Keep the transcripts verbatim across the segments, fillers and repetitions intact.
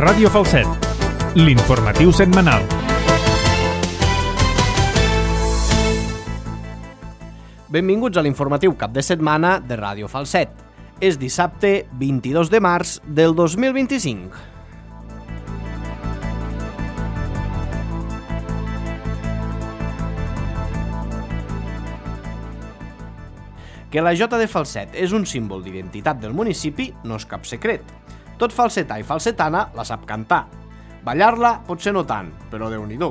Ràdio Falset, l'informatiu setmanal. Benvinguts a l'informatiu cap de setmana de Ràdio Falset. És dissabte vint-i-dos de març del dos mil vint-i-cinc. Que la Jota de Falset és un símbol d'identitat del municipi no és cap secret. Tot falsetà i falsetana la sap cantar. Ballar-la potser no tant, però Déu-n'hi-do.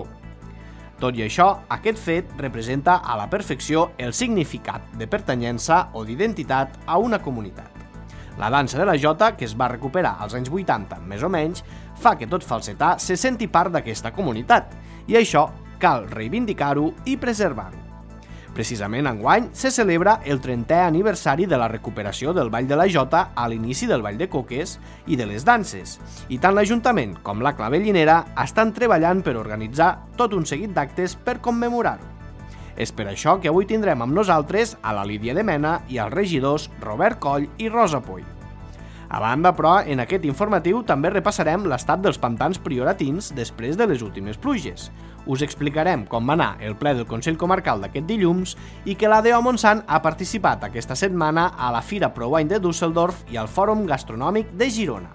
Tot i això, aquest fet representa a la perfecció el significat de pertanyença o d'identitat a una comunitat. La dansa de la Jota, que es va recuperar als anys vuitanta, més o menys, fa que tot falsetà se senti part d'aquesta comunitat, i això cal reivindicar-ho i preservar-ho. Precisament enguany se celebra el trentè aniversari de la recuperació del Ball de la Jota a l'inici del Ball de Coques i de les danses, i tant l'Ajuntament com la Clavellinera estan treballant per organitzar tot un seguit d'actes per commemorar-ho. És per això que avui tindrem amb nosaltres a la Lídia de Mena i als regidors Robert Coll i Rosa Poll. A banda, però, en aquest informatiu també repassarem l'estat dels pantans prioratins després de les últimes pluges. Us explicarem com va anar el ple del Consell Comarcal d'aquest dilluns i que l'A D O Montsant ha participat aquesta setmana a la Fira ProWine de Düsseldorf i al Fòrum Gastronòmic de Girona.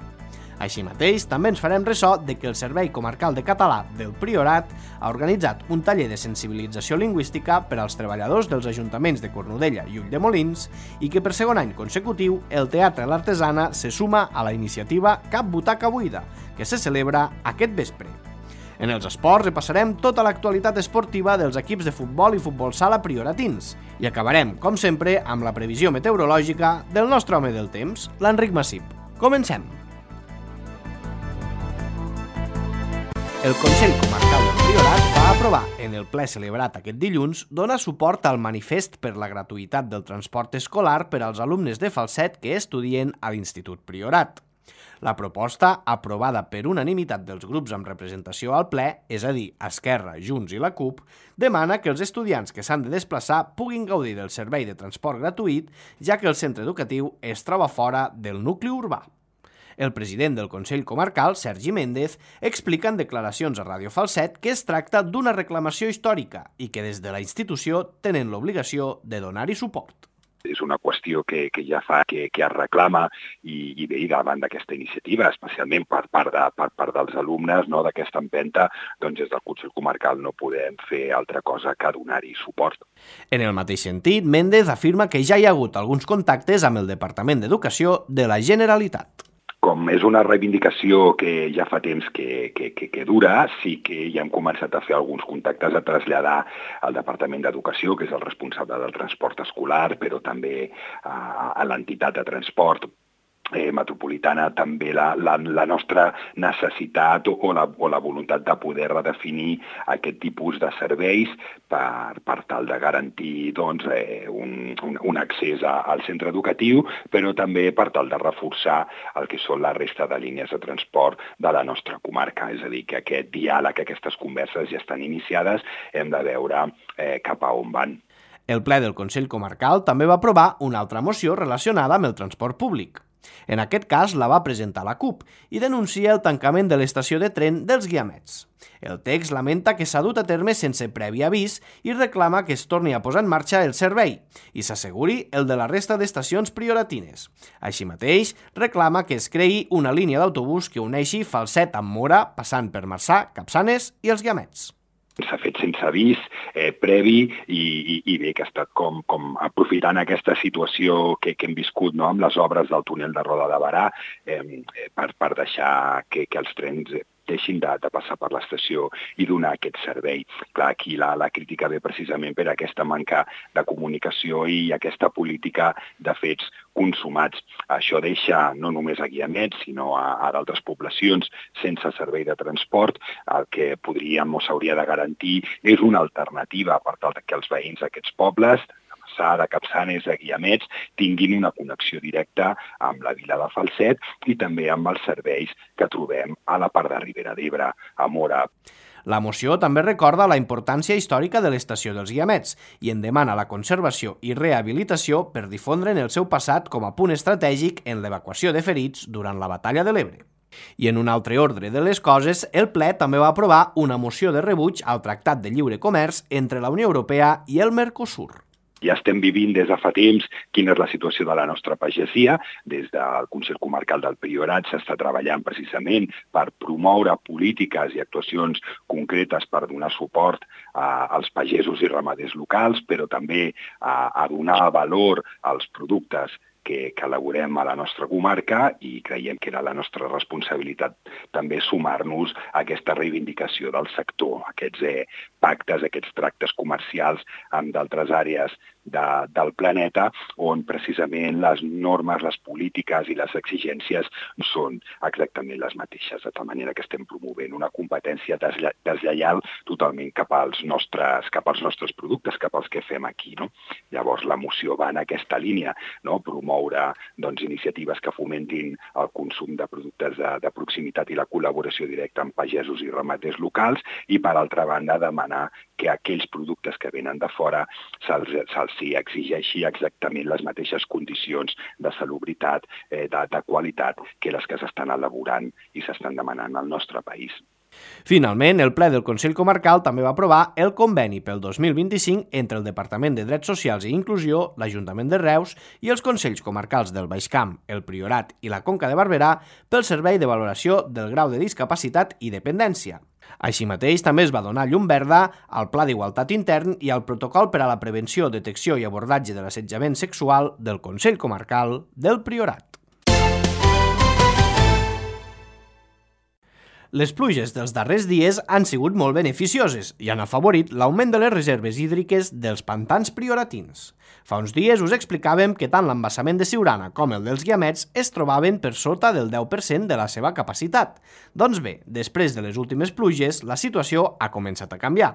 Així mateix, també ens farem ressò de que el Servei Comarcal de Català del Priorat ha organitzat un taller de sensibilització lingüística per als treballadors dels ajuntaments de Cornudella i Ulldemolins i que per segon any consecutiu el Teatre l'Artesana se suma a la iniciativa Cap Butaca Buida, que se celebra aquest vespre. En els esports repassarem tota l'actualitat esportiva dels equips de futbol i futbol sala prioratins i acabarem, com sempre, amb la previsió meteorològica del nostre home del temps, l'Enric Massip. Comencem! El Consell Comarcal del Priorat va aprovar en el ple celebrat aquest dilluns donar suport al manifest per la gratuïtat del transport escolar per als alumnes de Falset que estudien a l'Institut Priorat. La proposta, aprovada per unanimitat dels grups amb representació al ple, és a dir, Esquerra, Junts i la CUP, demana que els estudiants que s'han de desplaçar puguin gaudir del servei de transport gratuït, ja que el centre educatiu es troba fora del nucli urbà. El president del Consell Comarcal, Sergi Méndez, explica en declaracions a Ràdio Falset que es tracta d'una reclamació històrica i que des de la institució tenen l'obligació de donar-hi suport. És una qüestió que, que ja fa que, que es reclama i, i bé, davant d'aquesta iniciativa, especialment per part, de, per part dels alumnes, no, d'aquesta empenta, doncs des del Consell Comarcal no podem fer altra cosa que donar-hi suport. En el mateix sentit, Méndez afirma que ja hi ha hagut alguns contactes amb el Departament d'Educació de la Generalitat. Com és una reivindicació que ja fa temps que, que, que, que dura, sí que ja hem començat a fer alguns contactes a traslladar al Departament d'Educació, que és el responsable del transport escolar, però també a, a l'entitat de transport Eh, metropolitana, també la, la, la nostra necessitat o, o, la, o la voluntat de poder redefinir aquest tipus de serveis per, per tal de garantir doncs, eh, un, un, un accés a, al centre educatiu, però també per tal de reforçar el que són la resta de línies de transport de la nostra comarca. És a dir, que aquest diàleg, aquestes converses ja estan iniciades, hem de veure eh, cap a on van. El ple del Consell Comarcal també va aprovar una altra moció relacionada amb el transport públic. En aquest cas la va presentar la CUP i denuncia el tancament de l'estació de tren dels Guiamets. El text lamenta que s'ha dut a terme sense previ avís i reclama que es torni a posar en marxa el servei i s'asseguri el de la resta d'estacions prioratines. Així mateix, reclama que es creï una línia d'autobús que uneixi Falset amb Mora, passant per Marçà, Capçanes i els Guiamets. S'ha fet sense avís eh, previ i, i, i bé, que ha estat com, com aprofitant aquesta situació que, que hem viscut, no?, amb les obres del túnel de Roda de Barà eh, per, per deixar que, que els trens deixin de, de passar per l'estació i donar aquest servei. Clar, aquí la, la crítica ve precisament per aquesta manca de comunicació i aquesta política de fets consumats. Això deixa no només a Guiamets, sinó a, a d'altres poblacions sense servei de transport. El que podríem o s'hauria de garantir és una alternativa per tal que els veïns d'aquests pobles, de Capçanes, de Guiamets, tinguin una connexió directa amb la vila de Falset i també amb els serveis que trobem a la part de Ribera d'Ebre, a Mora. La moció també recorda la importància històrica de l'estació dels Guiamets i en demana la conservació i rehabilitació per difondre en el seu passat com a punt estratègic en l'evacuació de ferits durant la Batalla de l'Ebre. I en un altre ordre de les coses, el ple també va aprovar una moció de rebuig al Tractat de Lliure Comerç entre la Unió Europea i el Mercosur. Ja estem vivint des de fa temps quina és la situació de la nostra pagesia. Des del Consell Comarcal del Priorat s'està treballant precisament per promoure polítiques i actuacions concretes per donar suport a, als pagesos i ramaders locals, però també a, a donar valor als productes que, que elaborem a la nostra comarca, i creiem que era la nostra responsabilitat també sumar-nos a aquesta reivindicació del sector, aquests eh, pactes, aquests tractes comercials amb d'altres àrees de, del planeta, on precisament les normes, les polítiques i les exigències són exactament les mateixes, de tal manera que estem promovent una competència deslle deslleial totalment cap als nostres, cap als nostres productes, cap als que fem aquí, no? Llavors la moció va en aquesta línia, no? Promoure doncs, iniciatives que fomentin el consum de productes de, de proximitat i la col·laboració directa amb pagesos i ramaders locals, i per altra banda demanar que aquells productes que venen de fora se'ls se s'hi exigeixi exactament les mateixes condicions de salubritat, eh, de, de qualitat, que les que s'estan elaborant i s'estan demanant al nostre país. Finalment, el ple del Consell Comarcal també va aprovar el conveni pel dos mil vint-i-cinc entre el Departament de Drets Socials i Inclusió, l'Ajuntament de Reus i els Consells Comarcals del Baix Camp, el Priorat i la Conca de Barberà pel servei de valoració del grau de discapacitat i dependència. Així mateix, també es va donar llum verda al Pla d'Igualtat Intern i al Protocol per a la Prevenció, Detecció i Abordatge de l'Assetjament Sexual del Consell Comarcal del Priorat. Les pluges dels darrers dies han sigut molt beneficioses i han afavorit l'augment de les reserves hídriques dels pantans prioratins. Fa uns dies us explicàvem que tant l'embassament de Siurana com el dels Guiamets es trobaven per sota del deu per cent de la seva capacitat. Doncs bé, després de les últimes pluges, la situació ha començat a canviar.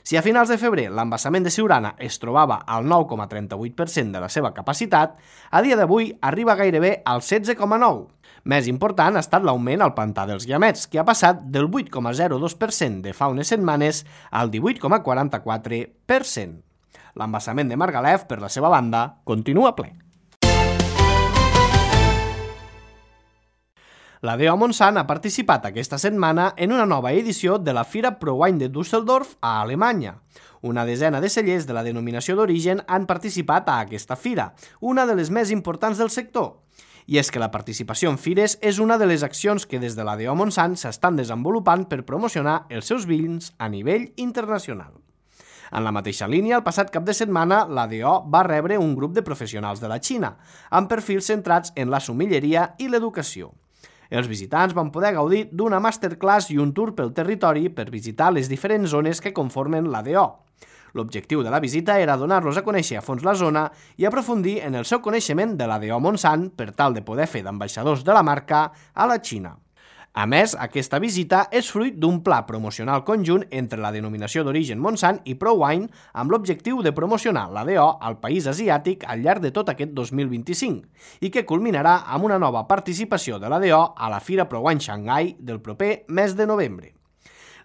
Si a finals de febrer l'embassament de Siurana es trobava al nou coma trenta-vuit per cent de la seva capacitat, a dia d'avui arriba gairebé al setze coma nou per cent. Més important ha estat l'augment al pantà dels Guiamets, que ha passat del vuit coma zero dos per cent de fa unes setmanes al divuit coma quaranta-quatre per cent. L'embassament de Margalef, per la seva banda, continua ple. La D O Monsanto ha participat aquesta setmana en una nova edició de la Fira ProWein de Düsseldorf a Alemanya. Una desena de cellers de la denominació d'origen han participat a aquesta fira, una de les més importants del sector. I és que la participació en fires és una de les accions que des de la D O Monsanto s'estan desenvolupant per promocionar els seus vins a nivell internacional. En la mateixa línia, el passat cap de setmana, la D O va rebre un grup de professionals de la Xina, amb perfils centrats en la sommelleria i l'educació. Els visitants van poder gaudir d'una masterclass i un tour pel territori per visitar les diferents zones que conformen la D O. L'objectiu de la visita era donar-los a conèixer a fons la zona i aprofundir en el seu coneixement de la D O Monsanto per tal de poder fer d'ambaixadors de la marca a la Xina. A més, aquesta visita és fruit d'un pla promocional conjunt entre la denominació d'origen Monsanto i ProWein amb l'objectiu de promocionar la D O al país asiàtic al llarg de tot aquest dos mil vint-i-cinc i que culminarà amb una nova participació de la D O a la Fira ProWein Shanghai del proper mes de novembre.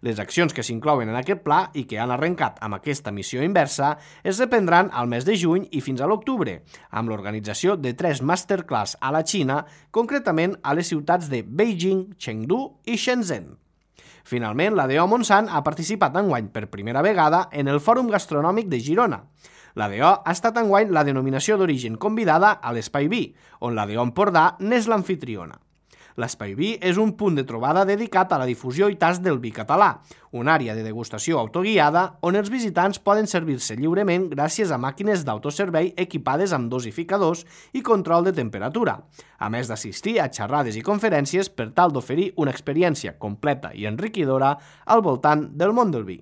Les accions que s'inclouen en aquest pla i que han arrencat amb aquesta missió inversa es reprendran al mes de juny i fins a l'octubre, amb l'organització de tres masterclass a la Xina, concretament a les ciutats de Beijing, Chengdu i Shenzhen. Finalment, la D O Monsanto ha participat enguany per primera vegada en el Fòrum Gastronòmic de Girona. La D O ha estat enguany la denominació d'origen convidada a l'Espai Vi, on la D O Empordà n'és l'amfitriona. L'Espai Vi és un punt de trobada dedicat a la difusió i tast del vi català, una àrea de degustació autoguiada on els visitants poden servir-se lliurement gràcies a màquines d'autoservei equipades amb dosificadors i control de temperatura, a més d'assistir a xerrades i conferències per tal d'oferir una experiència completa i enriquidora al voltant del món del vi.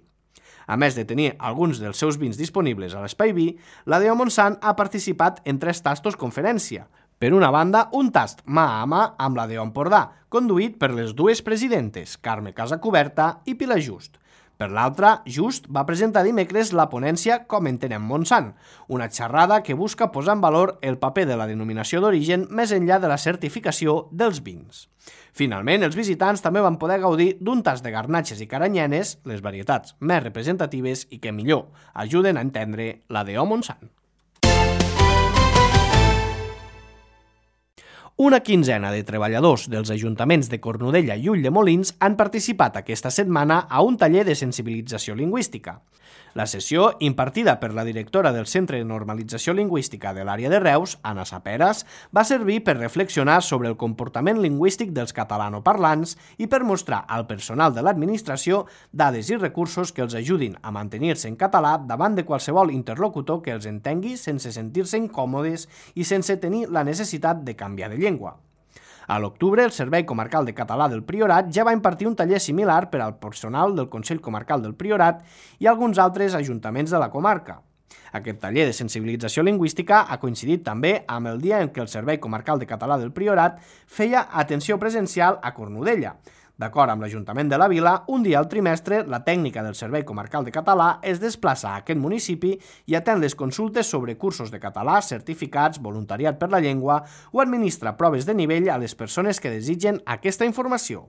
A més de tenir alguns dels seus vins disponibles a l'Espai Vi, la D O Monsanto ha participat en tres tastos conferència. Per una banda, un tast mà a mà amb la D O Empordà, conduït per les dues presidentes, Carme Casacuberta i Pilar Just. Per l'altra, Just va presentar dimecres la ponència Com entenem Monsanto, una xerrada que busca posar en valor el paper de la denominació d'origen més enllà de la certificació dels vins. Finalment, els visitants també van poder gaudir d'un tast de garnatxes i caranyenes, les varietats més representatives i que millor ajuden a entendre la D O Monsanto. Una quinzena de treballadors dels ajuntaments de Cornudella i Ulldemolins han participat aquesta setmana a un taller de sensibilització lingüística. La sessió, impartida per la directora del Centre de Normalització Lingüística de l'àrea de Reus, Anna Saperas, va servir per reflexionar sobre el comportament lingüístic dels catalanoparlants i per mostrar al personal de l'administració dades i recursos que els ajudin a mantenir-se en català davant de qualsevol interlocutor que els entengui sense sentir-se incòmodes i sense tenir la necessitat de canviar de llengua. A l'octubre, el Servei Comarcal de Català del Priorat ja va impartir un taller similar per al personal del Consell Comarcal del Priorat i alguns altres ajuntaments de la comarca. Aquest taller de sensibilització lingüística ha coincidit també amb el dia en què el Servei Comarcal de Català del Priorat feia atenció presencial a Cornudella. D'acord amb l'Ajuntament de la Vila, un dia al trimestre, la tècnica del Servei Comarcal de Català es desplaça a aquest municipi i atén les consultes sobre cursos de català, certificats, voluntariat per la llengua o administra proves de nivell a les persones que desitgen aquesta informació.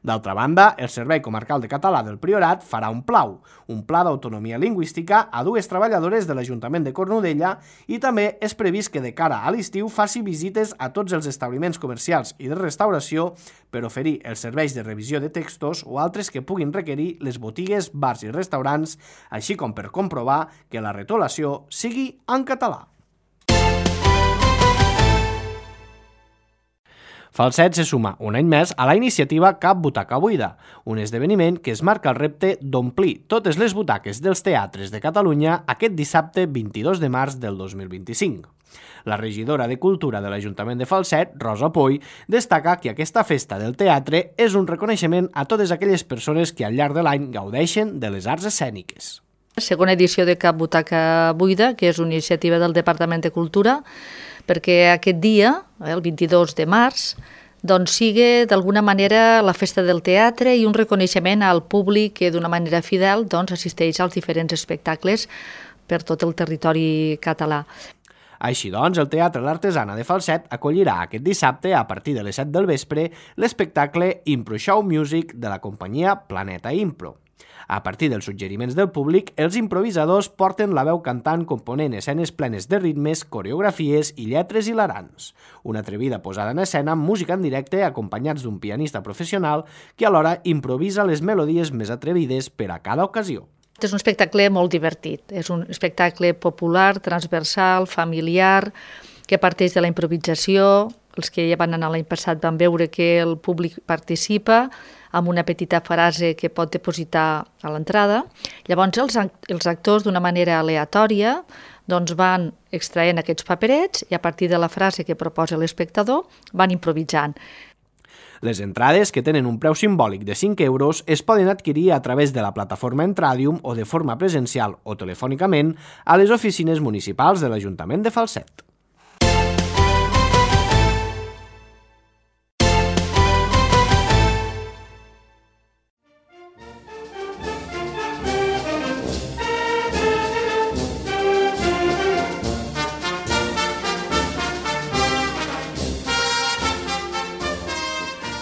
D'altra banda, el Servei Comarcal de Català del Priorat farà un plau, un pla d'autonomia lingüística a dues treballadores de l'Ajuntament de Cornudella i també és previst que de cara a l'estiu faci visites a tots els establiments comercials i de restauració per oferir els serveis de revisió de textos o altres que puguin requerir les botigues, bars i restaurants, així com per comprovar que la retolació sigui en català. Falset se suma un any més a la iniciativa Cap Butaca Buida, un esdeveniment que es marca el repte d'omplir totes les butaques dels teatres de Catalunya aquest dissabte vint-i-dos de març del dos mil vint-i-cinc. La regidora de Cultura de l'Ajuntament de Falset, Rosa Poy, destaca que aquesta festa del teatre és un reconeixement a totes aquelles persones que al llarg de l'any gaudeixen de les arts escèniques. Segona edició de Cap Butaca Buida, que és una iniciativa del Departament de Cultura, perquè aquest dia, el vint-i-dos de març, doncs sigui d'alguna manera la festa del teatre i un reconeixement al públic que d'una manera fidel doncs, assisteix als diferents espectacles per tot el territori català. Així doncs, el Teatre L'Artesana de Falset acollirà aquest dissabte, a partir de les set del vespre, l'espectacle Impro Show Music de la companyia Planeta Impro. A partir dels suggeriments del públic, els improvisadors porten la veu cantant component escenes plenes de ritmes, coreografies i lletres hilarants. Una atrevida posada en escena amb música en directe acompanyats d'un pianista professional que alhora improvisa les melodies més atrevides per a cada ocasió. És un espectacle molt divertit, és un espectacle popular, transversal, familiar, que parteix de la improvisació. Els que ja van anar l'any passat van veure que el públic participa amb una petita frase que pot depositar a l'entrada. Llavors els, els actors d'una manera aleatòria doncs van extraient aquests paperets i a partir de la frase que proposa l'espectador van improvisant. Les entrades, que tenen un preu simbòlic de cinc euros, es poden adquirir a través de la plataforma Entradium o de forma presencial o telefònicament a les oficines municipals de l'Ajuntament de Falset.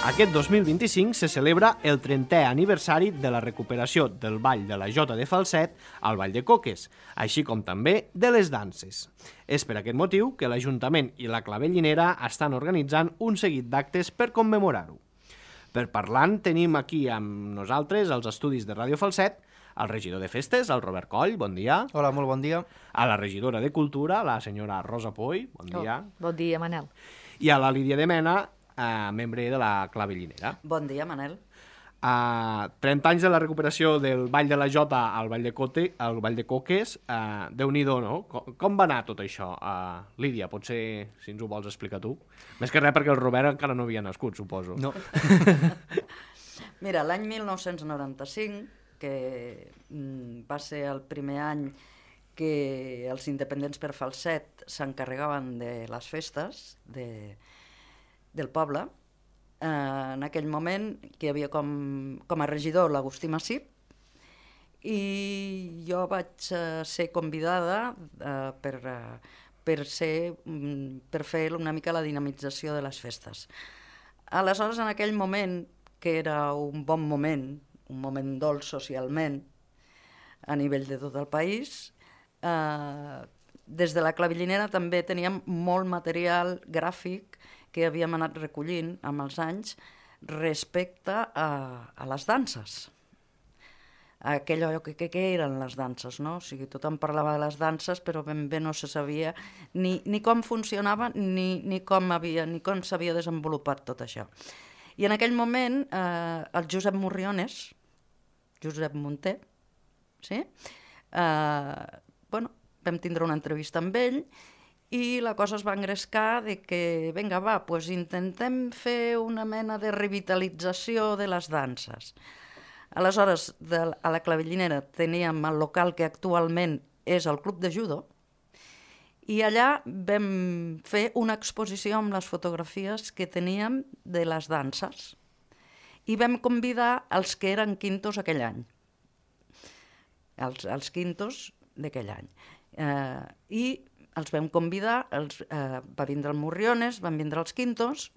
Aquest dos mil vint-i-cinc se celebra el trentè aniversari de la recuperació del Ball de la Jota de Falset al Ball de Coques, així com també de les danses. És per aquest motiu que l'Ajuntament i la Clavellinera estan organitzant un seguit d'actes per commemorar-ho. Per parlant, tenim aquí amb nosaltres, als estudis de Ràdio Falset, el regidor de Festes, el Robert Coll, bon dia. Hola, molt bon dia. A la regidora de Cultura, la senyora Rosa Poy, bon dia. Oh, bon dia, Manel. I a la Lídia de Mena, Uh, membre de la Clavellinera. Bon dia, Manel. Uh, trenta anys de la recuperació del Ball de la Jota al Ball de, Cote, al Ball de Coques, uh, Déu-n'hi-do, no? Com, com va anar tot això? Uh, Lídia, potser, si ens ho vols explicar tu. Més que res perquè el Robert encara no havia nascut, suposo. No. Mira, l'any mil nou-cents noranta-cinc, que mm, va ser el primer any que els independents per Falset s'encarregaven de les festes, de... del poble, eh, en aquell moment que hi havia com, com a regidor l'Agustí Massip i jo vaig eh, ser convidada eh, per, eh, per, ser, per fer una mica la dinamització de les festes. Aleshores, en aquell moment, que era un bon moment, un moment dolç socialment, a nivell de tot el país, eh, des de la Clavellinera també teníem molt material gràfic que havíem anat recollint amb els anys respecte a, a les danses. Aquell que, que, que eren les danses, no? O sigui, tothom parlava de les danses, però ben bé no se sabia ni, ni com funcionava ni, ni com havia, ni com s'havia desenvolupat tot això. I en aquell moment, eh, el Josep Morriones, Josep Munté, sí? eh, bueno, vam tindre una entrevista amb ell i la cosa es va engrescar de que, vinga, va, pues intentem fer una mena de revitalització de les danses. Aleshores, de, a la Clavellinera teníem el local que actualment és el Club de Judo i allà vam fer una exposició amb les fotografies que teníem de les danses i vam convidar els que eren quintos aquell any, els, els quintos d'aquell any. Eh, I els vam convidar, els, eh, va vindre el Morriones, van vindre els quintos,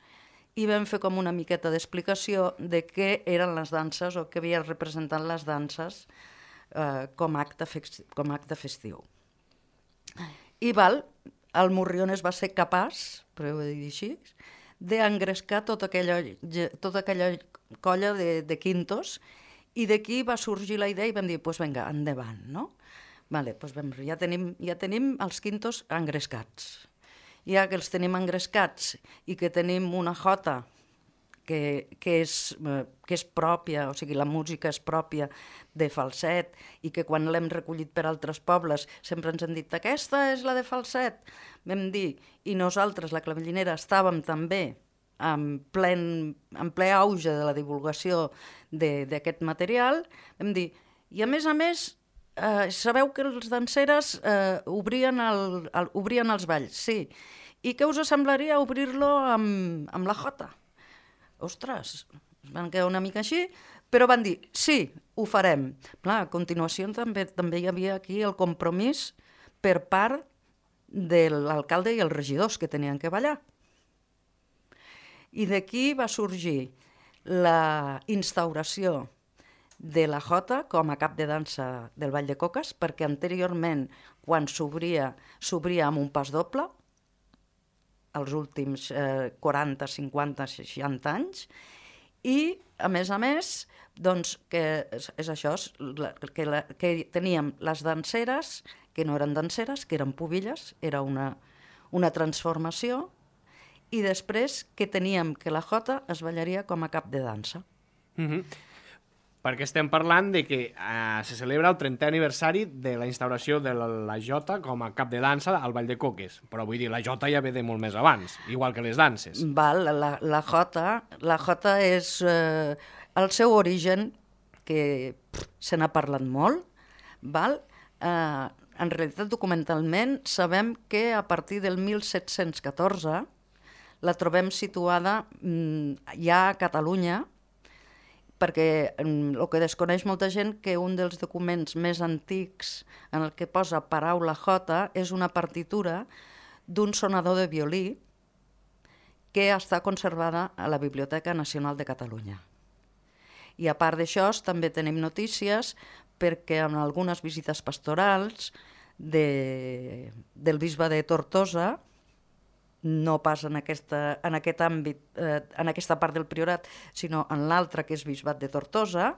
i vam fer com una miqueta d'explicació de què eren les danses o què havia representat les danses eh, com, acte com acte festiu. I val, el Morriones va ser capaç, però ho he de dir així, d'engrescar tota aquella, tota aquella colla de, de quintos i d'aquí va sorgir la idea i vam dir, doncs pues vinga, endavant, no? Vale, pues vam, ja, tenim, ja tenim els quintos engrescats. Ja que els tenim engrescats i que tenim una jota que, que, és, que és pròpia, o sigui, la música és pròpia de Falset i que quan l'hem recollit per altres pobles sempre ens han dit aquesta és la de Falset, vam dir, i nosaltres, la Clavellinera, estàvem també en, plen, en ple auge de la divulgació d'aquest material, vam dir, i a més a més, eh, sabeu que els danseres eh, obrien, el, el, obrien els balls, sí, i què us semblaria obrir-lo amb, amb la jota? Ostres, es van quedar una mica així, però van dir, sí, ho farem. Clar, a continuació també, també hi havia aquí el compromís per part de l'alcalde i els regidors que tenien que ballar. I d'aquí va sorgir la instauració de la jota com a cap de dansa del Ball de Coques, perquè anteriorment, quan s'obria, s'obria amb un pas doble, els últims eh, quaranta, cinquanta, seixanta anys, i, a més a més, doncs, que és, és això, que, la, que teníem les danseres, que no eren danseres, que eren pubilles, era una, una transformació, i després que teníem que la jota es ballaria com a cap de dansa. Mm-hmm. Perquè estem parlant de que eh, se celebra el trentè aniversari de la instauració de la, la jota com a cap de dansa al Ball de Coques. Però vull dir, la jota ja ve de molt més abans, igual que les danses. Val, la, la jota, la jota és eh, el seu origen, que pff, se n'ha parlat molt, val? Eh, en realitat, documentalment, sabem que a partir del mil set-cents catorze la trobem situada mm, ja a Catalunya, perquè el que desconeix molta gent que un dels documents més antics en el que posa paraula jota és una partitura d'un sonador de violí que està conservada a la Biblioteca Nacional de Catalunya. I a part d'això també tenim notícies perquè en algunes visites pastorals de, del bisbe de Tortosa, no pas en, aquesta, en aquest àmbit, eh, en aquesta part del priorat, sinó en l'altre, que és bisbat de Tortosa,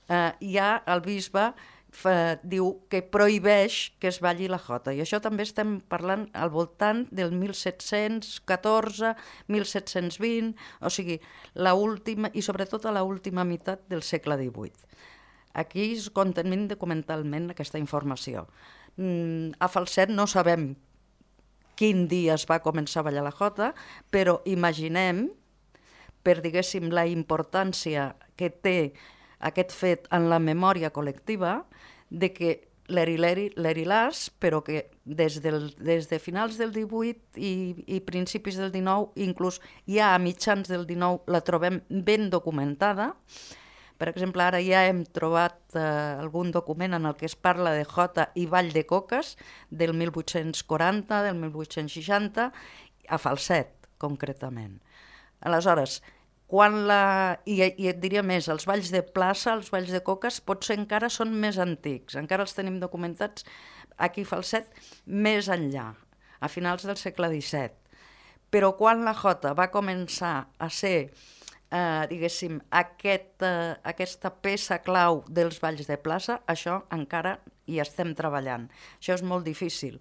eh, ja el bisbe fa, diu que prohibeix que es balli la jota. I això també estem parlant al voltant del mil set-cents catorze, mil set-cents vint, o sigui, la última, i sobretot a l'última meitat del segle divuit. Aquí es contenim documentalment aquesta informació. Mm, a Falset no sabem quin dia es va començar a ballar la jota, però imaginem, per, diguéssim, la importància que té aquest fet en la memòria col·lectiva, de que l'eri-leri-leri-las, però que des, del, des de finals del divuit i, i principis del dinou, inclús ja a mitjans del dinou, la trobem ben documentada. Per exemple, ara ja hem trobat eh, algun document en el que es parla de jota i ball de coques del mil vuit-cents quaranta, del mil vuit-cents seixanta, a Falset, concretament. Aleshores, quan la... I, i et diria més, els balls de plaça, els balls de coques, potser encara són més antics, encara els tenim documentats aquí a Falset més enllà, a finals del segle disset. Però quan la jota va començar a ser, eh, diguéssim, aquest, eh, aquesta peça clau dels balls de plaça, això encara hi estem treballant. Això és molt difícil.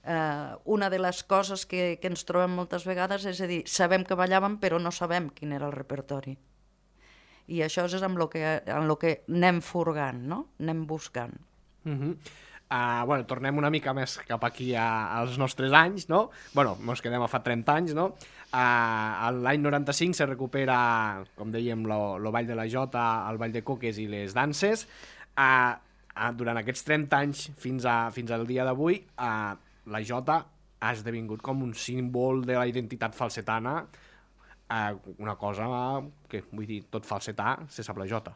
Eh, una de les coses que, que ens trobem moltes vegades és a dir, sabem que ballàvem però no sabem quin era el repertori. I això és amb el que, amb lo que anem furgant, no? Anem buscant. Uh -huh. uh, bueno, tornem una mica més cap aquí a, als nostres anys, no? Bueno, ens quedem a fa trenta anys, no? Uh, L'any noranta-cinc se recupera, com dèiem, lo, lo ball de la jota, el ball de coques i les danses. Uh, uh, durant aquests trenta anys fins, a, fins al dia d'avui, uh, la jota ha esdevingut com un símbol de la identitat falsetana. Uh, una cosa que, vull dir, tot falsetà se sap la jota.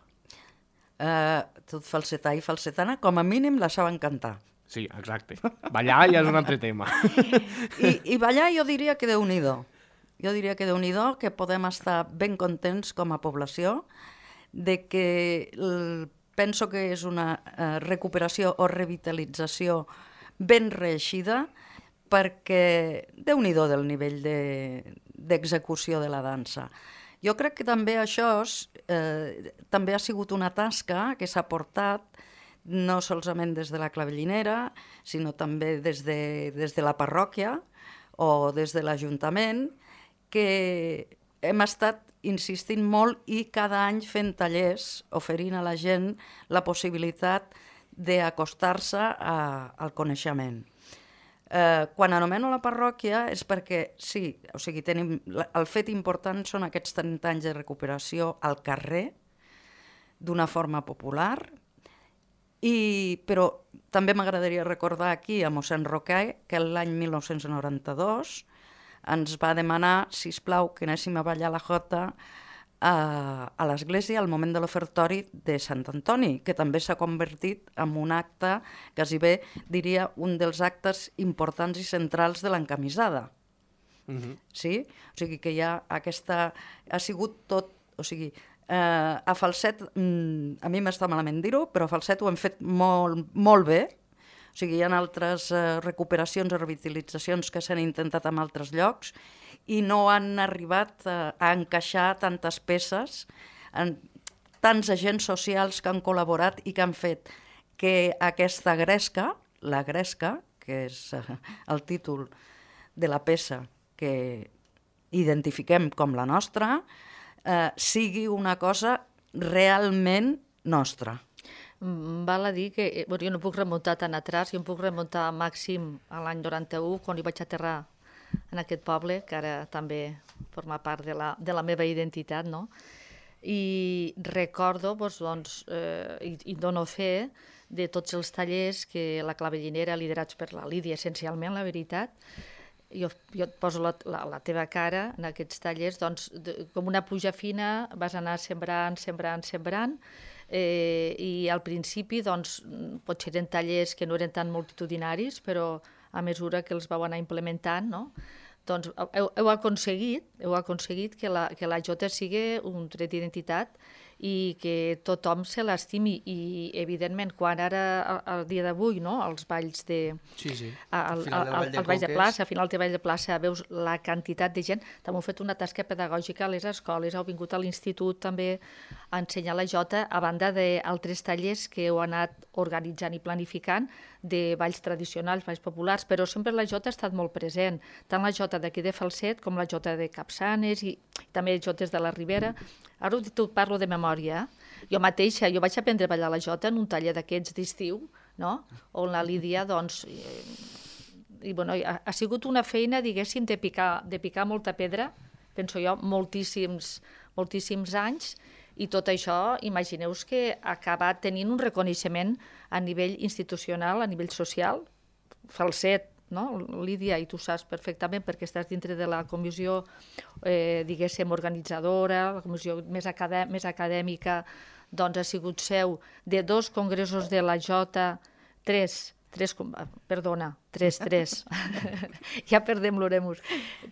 Uh, tot falsetà i falsetana, com a mínim la saben cantar. Sí, exacte. Ballar ja és un altre tema. I, i ballar jo diria que déu-n'hi-do. Jo diria que déu-n'hi-do, que podem estar ben contents com a població, de que el, penso que és una uh, recuperació o revitalització ben reeixida, perquè déu-n'hi-do del nivell de d'execució de la dansa. Jo crec que també això eh, també ha sigut una tasca que s'ha portat no solament des de la clavellinera, sinó també des de, des de la parròquia o des de l'Ajuntament, que hem estat insistint molt i cada any fent tallers, oferint a la gent la possibilitat d'acostar-se al coneixement. Eh, quan anomeno la parròquia és perquè, sí, o sigui, tenim, el fet important són aquests trenta anys de recuperació al carrer, d'una forma popular, i, però també m'agradaria recordar aquí a mossèn Roquer que l'any mil nou-cents noranta-dos ens va demanar, sisplau, que anéssim a ballar la jota a, a l'església al moment de l'ofertori de Sant Antoni, que també s'ha convertit en un acte, quasi bé diria un dels actes importants i centrals de l'encamisada. Uh-huh. Sí? O sigui que ja aquesta... ha sigut tot... O sigui, eh, a falset, mm, a mi m'està malament dir-ho, però a falset ho hem fet molt, molt bé. O sigui, hi ha altres eh, recuperacions o revitalitzacions que s'han intentat en altres llocs i no han arribat a, a encaixar tantes peces, en, tants agents socials que han col·laborat i que han fet que aquesta gresca, la gresca, que és eh, el títol de la peça que identifiquem com la nostra, eh, sigui una cosa realment nostra. Val a dir que bueno, jo no puc remuntar tan atrás, jo em puc remuntar màxim a l'any noranta-u, quan hi vaig aterrar en aquest poble, que ara també forma part de la, de la meva identitat, no? I recordo, doncs, doncs, eh, i, i dono fe de tots els tallers que la clavellinera, liderats per la Lídia, essencialment, la veritat, jo, jo et poso la, la, la teva cara en aquests tallers, doncs, de, com una pluja fina, vas anar sembrant, sembrant, sembrant, eh, i al principi, doncs, potser eren tallers que no eren tan multitudinaris, però a mesura que els vau anar implementant, no? Doncs heu, heu aconseguit, heu aconseguit que la, que la jota sigui un tret d'identitat i que tothom se l'estimi. I, evidentment, quan ara, al dia d'avui, no?, els balls de... Sí, sí. Al, al, al, al ball de plaça, al final del ball de plaça, veus la quantitat de gent. També heu fet una tasca pedagògica a les escoles, heu vingut a l'institut també a ensenyar la jota, a banda d'altres tallers que heu anat organitzant i planificant de balls tradicionals, balls populars, però sempre la jota ha estat molt present, tant la jota d'aquí de Falset com la jota de Capçanes i també jotes de la Ribera. Ara ho parlo de memòria. Jo mateixa, jo vaig aprendre a ballar la jota en un taller d'aquests d'estiu, no?, on la Lídia, doncs, i, i, bueno, ha, ha sigut una feina, diguéssim, de picar, de picar molta pedra, penso jo, moltíssims, moltíssims anys, i tot això, imagineu-vos que ha acabat tenint un reconeixement a nivell institucional, a nivell social. Falset, no? Lídia, i tu saps perfectament perquè estàs dintre de la comissió, eh, diguéssim, organitzadora, la comissió més, acadè més acadèmica, doncs ha sigut seu de dos congressos de la Jota, tres, tres, perdona, tres, tres, ja perdem l'oremus,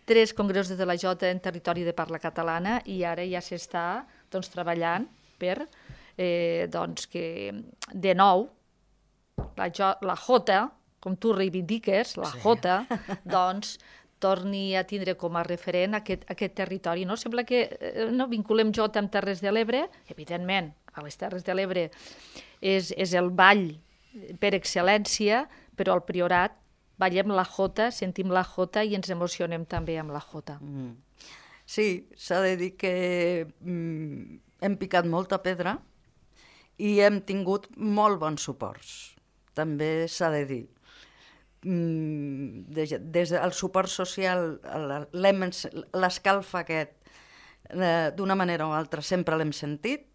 tres congressos de la Jota en territori de parla catalana i ara ja s'està, doncs, treballant per, eh, doncs, que de nou la, jo, la Jota, com tu reivindiques, la Jota, doncs, torni a tindre com a referent aquest, aquest territori. No? Sembla que eh, no vinculem jota amb Terres de l'Ebre, evidentment, a les Terres de l'Ebre és, és el ball per excel·lència, però al Priorat ballem la jota, sentim la jota i ens emocionem també amb la jota. Mm. Sí, s'ha de dir que mm, hem picat molta pedra i hem tingut molt bons suports, també s'ha de dir. Mm, des, des del suport social, l'escalf aquest, eh, d'una manera o altra sempre l'hem sentit.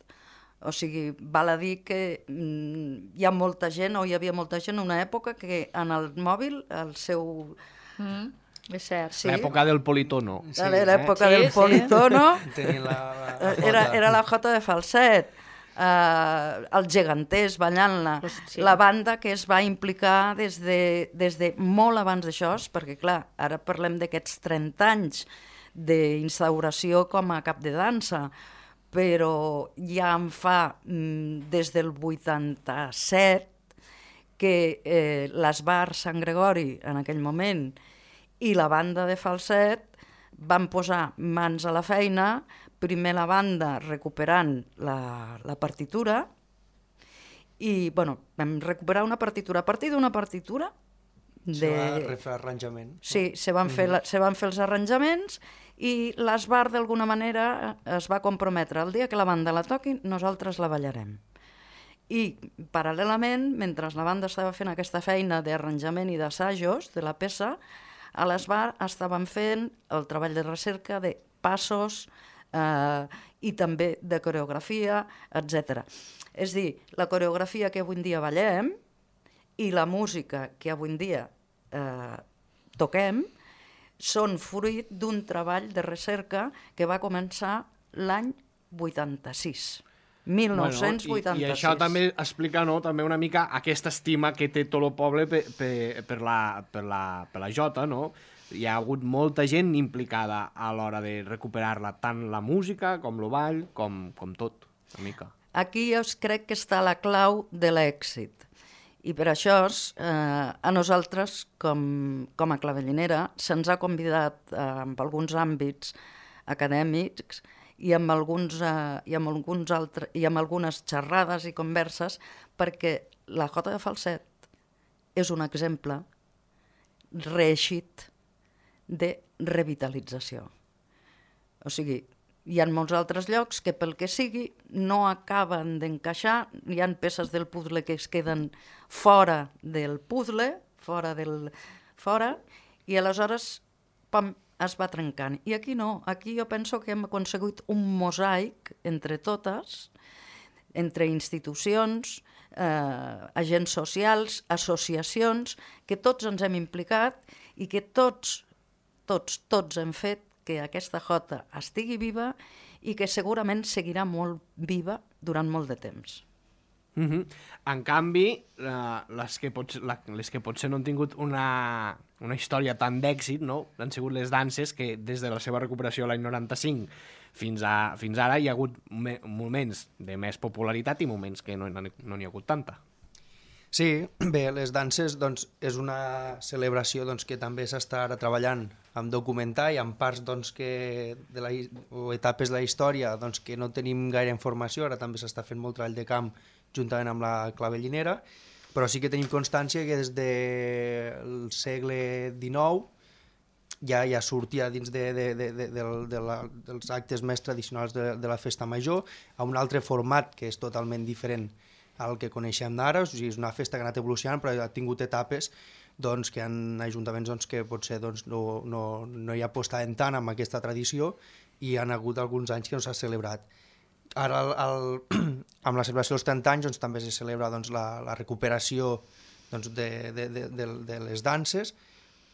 O sigui, val a dir que mm, hi ha molta gent, o hi havia molta gent en una època que en el mòbil, el seu... Mm, és cert. Sí. L'època del politono. Sí, l'època eh? del sí, politono sí. la, la, la era, era la jota de falset. Uh, els geganters ballant-la, sí. La banda que es va implicar des de, des de molt abans d'això, perquè clar, ara parlem d'aquests trenta anys d'instauració com a cap de dansa, però ja en fa mm, des del vuitanta-set que eh, l'Esbar Sant Gregori en aquell moment i la banda de falset van posar mans a la feina, primer la banda recuperant la, la partitura i bueno, vam recuperar una partitura. A partir d'una partitura de... Se va refer arranjament. Sí, se van, fer la, se van fer els arranjaments i l'Esbar d'alguna manera es va comprometre el dia que la banda la toqui, nosaltres la ballarem. I paral·lelament, mentre la banda estava fent aquesta feina d'arranjament i d'assajos de la peça, a l'Esbar estaven fent el treball de recerca de passos eh, i també de coreografia, etcètera. És dir, la coreografia que avui en dia ballem i la música que avui en dia eh, toquem són fruit d'un treball de recerca que va començar l'any vuitanta-sis. mil nou-cents vuitanta-sis. Bueno, i, I això també explica, no?, també una mica aquesta estima que té tot el poble per, per, per, la, per, la, per la jota, no? Hi ha hagut molta gent implicada a l'hora de recuperar-la, tant la música com el ball, com, com tot, una mica. Aquí jo crec que està la clau de l'èxit. I per això eh, a nosaltres, com, com a clavellinera, se'ns ha convidat eh, en alguns àmbits acadèmics i amb, alguns, eh, i, amb alguns altres, i amb algunes xerrades i converses, perquè la jota de falset és un exemple reeixit de revitalització. O sigui, hi ha molts altres llocs que pel que sigui no acaben d'encaixar, hi ha peces del puzzle que es queden fora del puzzle, fora del... fora, i aleshores pam, es va trencant. I aquí no, aquí jo penso que hem aconseguit un mosaic entre totes, entre institucions, eh, agents socials, associacions, que tots ens hem implicat i que tots, tots, tots hem fet que aquesta jota estigui viva i que segurament seguirà molt viva durant molt de temps. Mm-hmm. En canvi, uh, les, que pot, la, les que potser no han tingut una, una història tan d'èxit, no?, han sigut les danses que des de la seva recuperació l'any noranta-cinc fins, a, fins ara hi ha hagut me, moments de més popularitat i moments que no n'hi no ha hagut tanta. Sí, bé, les danses doncs, és una celebració doncs, que també s'està ara treballant en documentar i en parts doncs, que de la, o etapes de la història doncs, que no tenim gaire informació, ara també s'està fent molt treball de camp juntament amb la clavellinera, però sí que tenim constància que des del segle dinou ja, ja sortia dins de, de, de, de, de, de la, dels actes més tradicionals de, de la festa major a un altre format que és totalment diferent al que coneixem d'ara. O sigui, és una festa que ha anat evolucionant però ha tingut etapes doncs, que hi ha ajuntaments doncs, que potser doncs, no, no, no hi apostaven tant amb aquesta tradició i han hagut alguns anys que no s'ha celebrat. Ara, el, el, amb la celebració dels trenta anys, doncs, també se celebra doncs, la, la recuperació doncs, de, de, de, de, de les danses,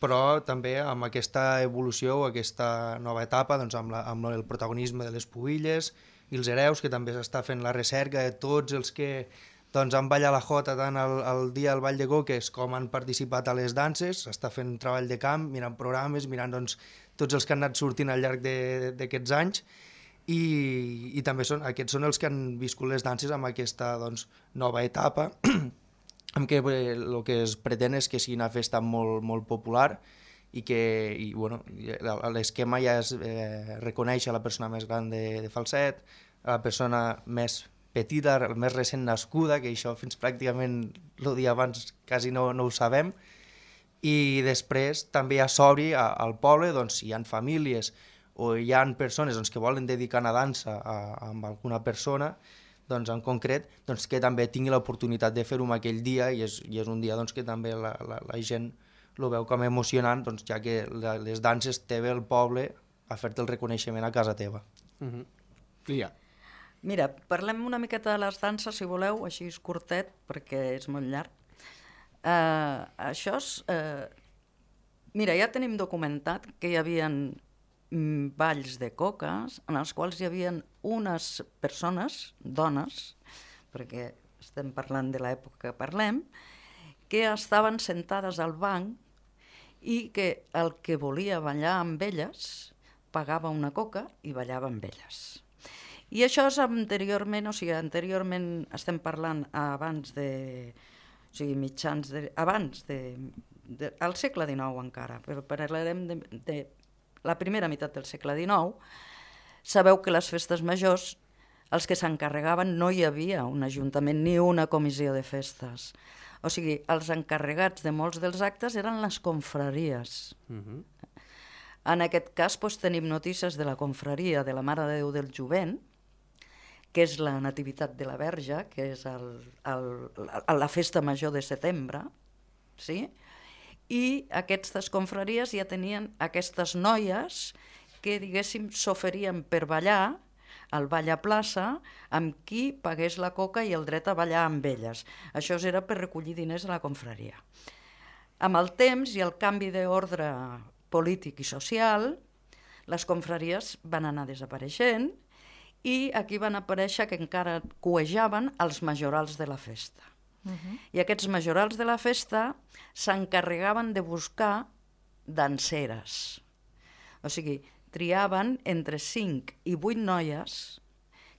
però també amb aquesta evolució o aquesta nova etapa, doncs, amb, la, amb el protagonisme de les pubilles i els hereus, que també s'està fent la recerca de tots els que doncs, han ballat la jota tant el, el dia del Ball de Coques com han participat a les danses, s'està fent treball de camp, mirant programes, mirant doncs, tots els que han anat sortint al llarg d'aquests anys, i, i també són, aquests són els que han viscut les danses amb aquesta doncs, nova etapa, en què el que es pretén és que sigui una festa molt, molt popular i que i, bueno, l'esquema ja és eh, reconèixer la persona més gran de, de Falset, la persona més petita, més recent nascuda, que això fins pràcticament el dia abans quasi no, no ho sabem, i després també ja s'obri al poble, doncs, si hi ha famílies o hi ha persones doncs, que volen dedicar una dansa a, a alguna persona, doncs, en concret, doncs, que també tingui l'oportunitat de fer-ho aquell dia, i és, i és un dia doncs, que també la, la, la gent ho veu com emocionant, doncs, ja que la, les danses té bé el poble a fer-te el reconeixement a casa teva. Uh-huh. Lia. Mira, parlem una miqueta de les danses, si voleu, així és curtet, perquè és molt llarg. Uh, això és... Uh, mira, ja tenim documentat que hi havia mm, balls de coques en els quals hi havia unes persones, dones, perquè estem parlant de l'època que parlem, que estaven sentades al banc i que el que volia ballar amb elles pagava una coca i ballava amb elles. I això és anteriorment, o sigui, anteriorment estem parlant abans de... o sigui, mitjans de... abans de... de al segle dinou encara, però parlarem de, de la primera meitat del segle dinou. Sabeu que les festes majors, els que s'encarregaven, no hi havia un ajuntament ni una comissió de festes. O sigui, els encarregats de molts dels actes eren les confraries. Uh-huh. En aquest cas doncs, tenim notícies de la confraria de la Mare de Déu del Jovent, que és la Nativitat de la Verge, que és el, el, la, la festa major de setembre, sí? I aquestes confraries ja tenien aquestes noies que, diguéssim, s'oferien per ballar al ball a plaça amb qui pagués la coca i el dret a ballar amb elles. Això era per recollir diners a la confraria. Amb el temps i el canvi d'ordre polític i social, les confraries van anar desapareixent i aquí van aparèixer que encara cuejaven els majorals de la festa. Uh-huh. I aquests majorals de la festa s'encarregaven de buscar danseres. O sigui, triaven entre cinc i vuit noies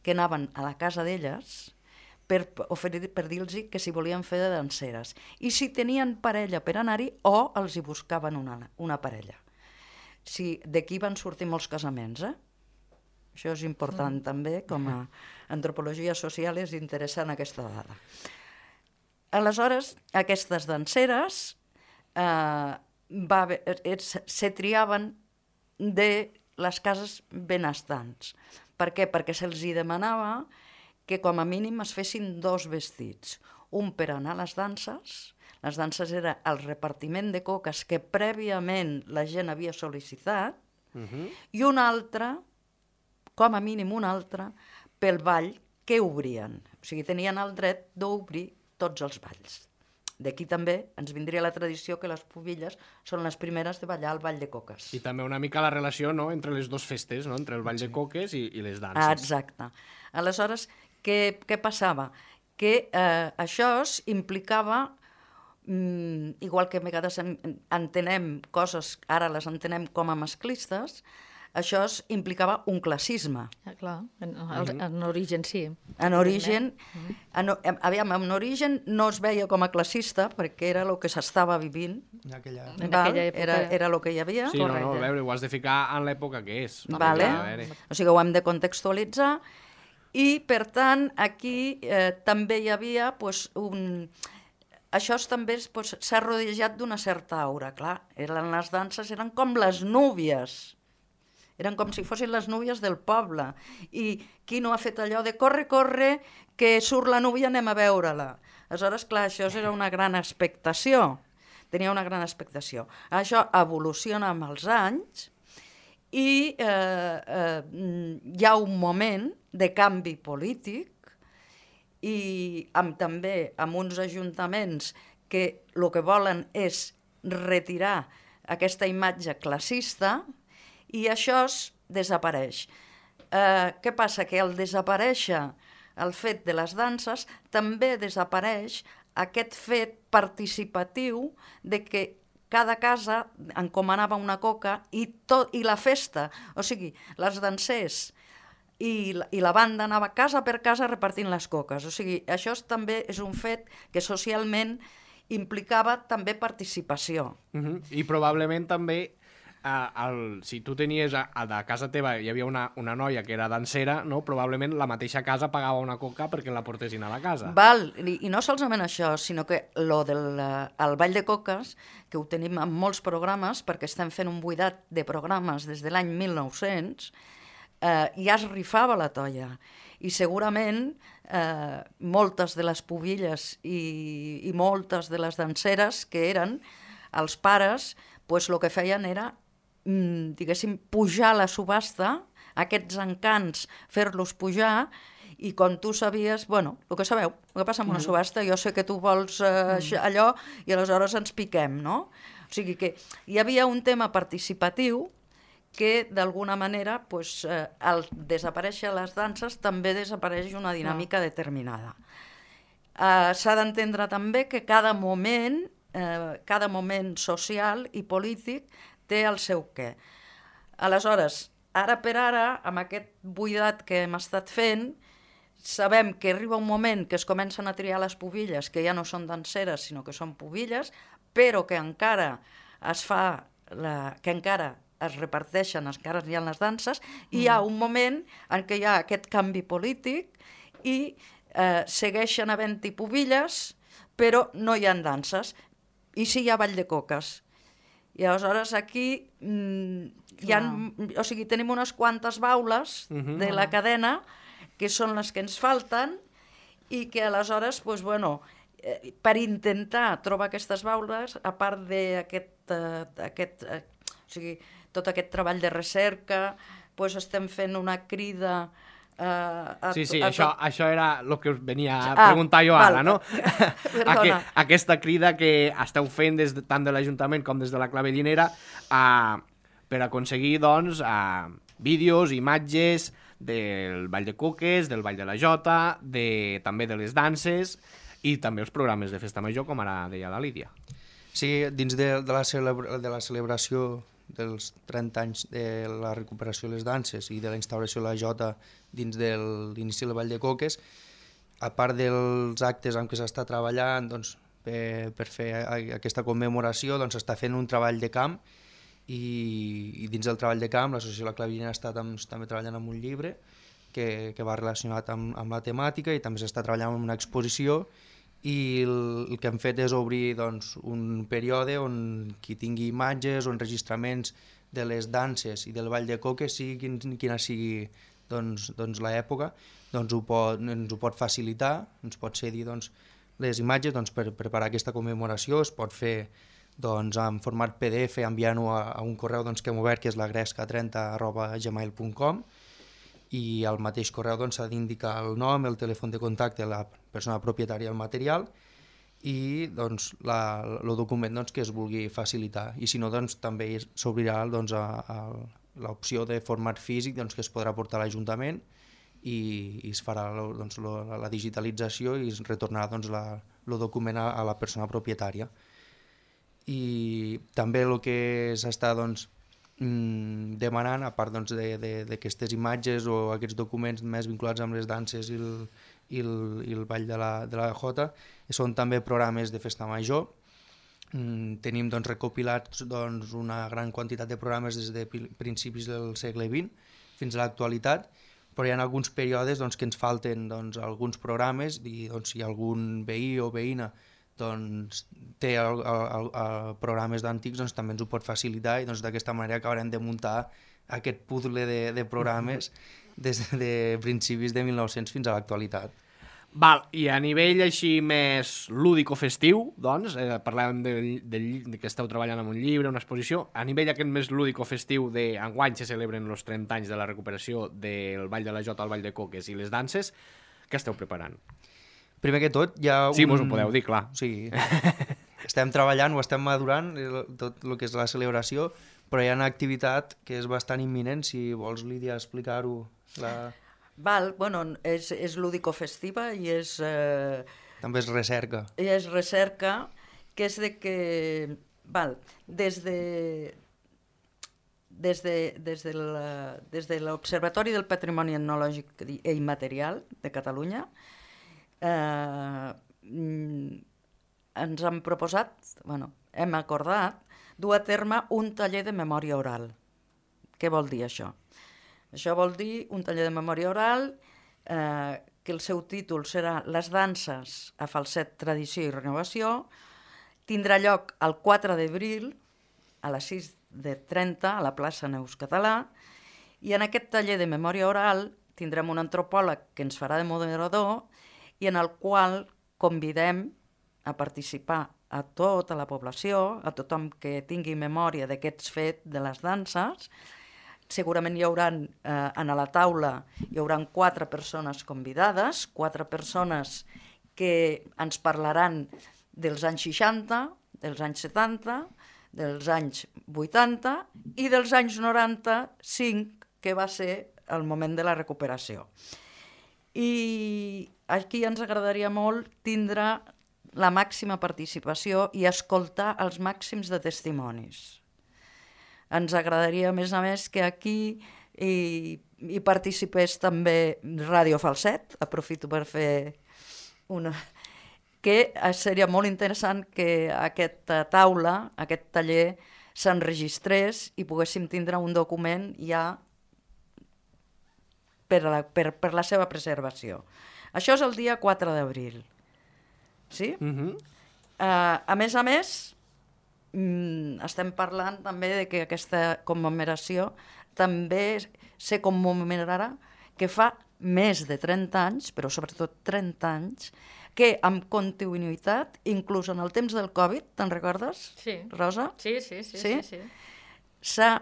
que anaven a la casa d'elles per, oferir, per dir-los que s'hi volien fer de danseres. I si tenien parella per anar-hi o els hi buscaven una, una parella. Sí, d'aquí van sortir molts casaments, eh? Això és important mm. també, com a antropologia social és interessant aquesta dada. Aleshores, aquestes danseres eh, va, se triaven de les cases benestants. Per què? Perquè se'ls demanava que com a mínim es fessin dos vestits. Un per anar a les danses, les danses era el repartiment de coques que prèviament la gent havia sol·licitat, uh-huh. i un altre, com a mínim un altre, pel ball que obrien. O sigui, tenien el dret d'obrir tots els balls. D'aquí també ens vindria la tradició que les pubilles són les primeres de ballar el ball de coques. I també una mica la relació, no?, entre les dues festes, no?, entre el ball de coques i, i les danses. Ah, exacte. Aleshores, què, què passava? Que eh, això implicava, mm, igual que a vegades entenem coses, ara les entenem com a masclistes, això implicava un classisme. Ah, clar, en, en, en origen sí. En origen, en, aviam, en origen no es veia com a classista perquè era el que s'estava vivint. En aquella, en aquella època. Era, era el que hi havia. Sí, no, no, a veure, ho has de ficar en l'època que és. Vale. O sigui, ho hem de contextualitzar i, per tant, aquí eh, també hi havia pues, un... Això també s'ha pues, rodejat d'una certa aura, clar. Eren les danses, eren com les núvies. Eren com si fossin les núvies del poble. I qui no ha fet allò de corre, corre, que surt la núvia, anem a veure-la. Aleshores, clar, això era una gran expectació. Tenia una gran expectació. Això evoluciona amb els anys i eh, eh, hi ha un moment de canvi polític i amb, també amb uns ajuntaments que el que volen és retirar aquesta imatge classista i això desapareix. Eh, què passa? Que al desaparèixer el fet de les danses, també desapareix aquest fet participatiu de que cada casa encomanava una coca i, tot, i la festa, o sigui, les dansers i la, i la banda anava casa per casa repartint les coques. O sigui, això també és un fet que socialment implicava també participació. Uh-huh. I probablement també Uh, el, si tu tenies a, a, a casa teva hi havia una, una noia que era dansera, no? Probablement la mateixa casa pagava una coca perquè la portessin a la casa. Val, i, i no solament això, sinó que lo del el ball de coques, que ho tenim en molts programes, perquè estem fent un buidat de programes des de l'any mil nou-cents, eh, ja es rifava la toia. I segurament eh, moltes de les pubilles i, i moltes de les danseres que eren els pares, pues, el que feien era diguéssim, pujar la subhasta, aquests encants, fer-los pujar, i quan tu sabies, bueno, el que sabeu, el que passa amb una subhasta, jo sé que tu vols eh, allò, i aleshores ens piquem, no? O sigui que hi havia un tema participatiu que, d'alguna manera, pues, eh, al desaparèixer les danses, també desapareix una dinàmica no. determinada. Eh, s'ha d'entendre també que cada moment, eh, cada moment social i polític té el seu què. Aleshores, ara per ara, amb aquest buidat que hem estat fent, sabem que arriba un moment que es comencen a triar les pubilles, que ja no són danseres, sinó que són pubilles, però que encara es fa, la, que encara es reparteixen, encara hi ha les danses, i hi ha un moment en què hi ha aquest canvi polític i eh, segueixen havent-hi pubilles, però no hi ha danses. I sí hi ha ball de coques. I aleshores aquí mm, hi ha, o sigui, tenim unes quantes baules uh-huh. de la cadena que són les que ens falten i que aleshores, pues, bueno, eh, per intentar trobar aquestes baules, a part d'aquest, eh, aquest, eh, o sigui, tot aquest treball de recerca, pues, estem fent una crida. Uh, a, sí, sí, a, això, a... això era el que us venia a ah, preguntar jo val. ara, no? Aqu aquesta crida que esteu fent des de, tant de l'Ajuntament com des de la Clavellinera uh, per aconseguir, doncs, uh, vídeos, imatges del Ball de Coques, del Ball de la Jota, de, també de les danses i també els programes de Festa Major, com ara deia la Lídia. Sí, dins de, de, la, celebra de la celebració dels trenta anys de la recuperació de les danses i de la instauració de la Jota dins de l'inici del Ball de Coques, a part dels actes en què s'està treballant doncs, per, per fer aquesta commemoració, doncs s'està fent un treball de camp i, i dins del treball de camp l'associació La Clavellinera està doncs, també treballant amb un llibre que, que va relacionat amb, amb la temàtica i també s'està treballant amb una exposició i el, el que hem fet és obrir doncs, un període on qui tingui imatges o enregistraments de les danses i del Ball de Coques, sigui quin, quina sigui doncs, doncs, l'època, doncs ho pot, ens ho pot facilitar, ens pot cedir doncs, les imatges doncs, per preparar aquesta commemoració, es pot fer doncs, en format P D F enviant-ho a, a un correu doncs, que hem obert, que és la gresca trenta arroba gmail punt com, i al mateix correu doncs, s'ha d'indicar el nom, el telèfon de contacte, la persona propietària del material i doncs, la, el document doncs, que es vulgui facilitar. I si no, doncs, també s'obrirà doncs, a, a l'opció de format físic doncs, que es podrà portar a l'Ajuntament i, i es farà doncs, lo, la digitalització i es retornarà doncs, la, el document a, a la persona propietària. I també el que s'està doncs, demanant, a part doncs, d'aquestes imatges o aquests documents més vinculats amb les danses i el, i el, i el ball de la, de la Jota, són també programes de Festa Major. Mm, tenim doncs, recopilats doncs, una gran quantitat de programes des de principis del segle vint fins a l'actualitat, però hi ha alguns períodes doncs, que ens falten doncs, alguns programes i doncs, si algun veí o veïna doncs, té el, el, el programes d'antics, doncs, també ens ho pot facilitar i doncs, d'aquesta manera acabarem de muntar aquest puzzle de, de programes des de principis de mil nou-cents fins a l'actualitat. Val, i a nivell així més lúdico-festiu, doncs, eh, parlàvem de, de, de que esteu treballant en un llibre, una exposició, a nivell aquest més lúdico-festiu d'enguany se celebren els trenta anys de la recuperació del Ball de la Jota, el Ball de Coques i les danses, què esteu preparant? Primer que tot, hi ha un... Sí, mos ho podeu dir, clar. Sí, estem treballant, ho estem madurant, tot el que és la celebració, però hi ha una activitat que és bastant imminent, si vols, Lídia, explicar-ho. La... Val, bueno, és, és lúdico-festiva i és... Eh, també és recerca. I és recerca, que és de que... Val, des de... Des de, des de la, des de l'Observatori del Patrimoni Etnològic i Immaterial de Catalunya, Eh, ens han proposat, bueno, hem acordat, dur a terme un taller de memòria oral. Què vol dir això? Això vol dir un taller de memòria oral eh, que el seu títol serà Les danses a falset, tradició i renovació. Tindrà lloc el quatre d'abril a les sis de trenta a la plaça Neus Català, i en aquest taller de memòria oral tindrem un antropòleg que ens farà de moderador i en el qual convidem a participar a tota la població, a tothom que tingui memòria d'aquests fets de les danses. Segurament hi haurà, eh, a la taula, hi haurà quatre persones convidades, quatre persones que ens parlaran dels anys seixanta, dels anys setanta, dels anys vuitanta i dels anys noranta-cinc, que va ser el moment de la recuperació. I aquí ens agradaria molt tindre la màxima participació i escoltar els màxims de testimonis. Ens agradaria, a més a més, que aquí hi, hi participés també Ràdio Falset, aprofito per fer una... que seria molt interessant que aquesta taula, aquest taller, s'enregistrés i poguéssim tindre un document ja per la, per, per la seva preservació. Això és el dia quatre d'abril. Sí? Uh-huh. uh, a més a més, mm, estem parlant també de que aquesta commemoració també se commemorarà que fa més de trenta anys, però sobretot trenta anys, que amb continuïtat, inclús en el temps del Covid, te'n recordes, sí. Rosa? Sí, sí, sí. sí? sí, sí. S'ha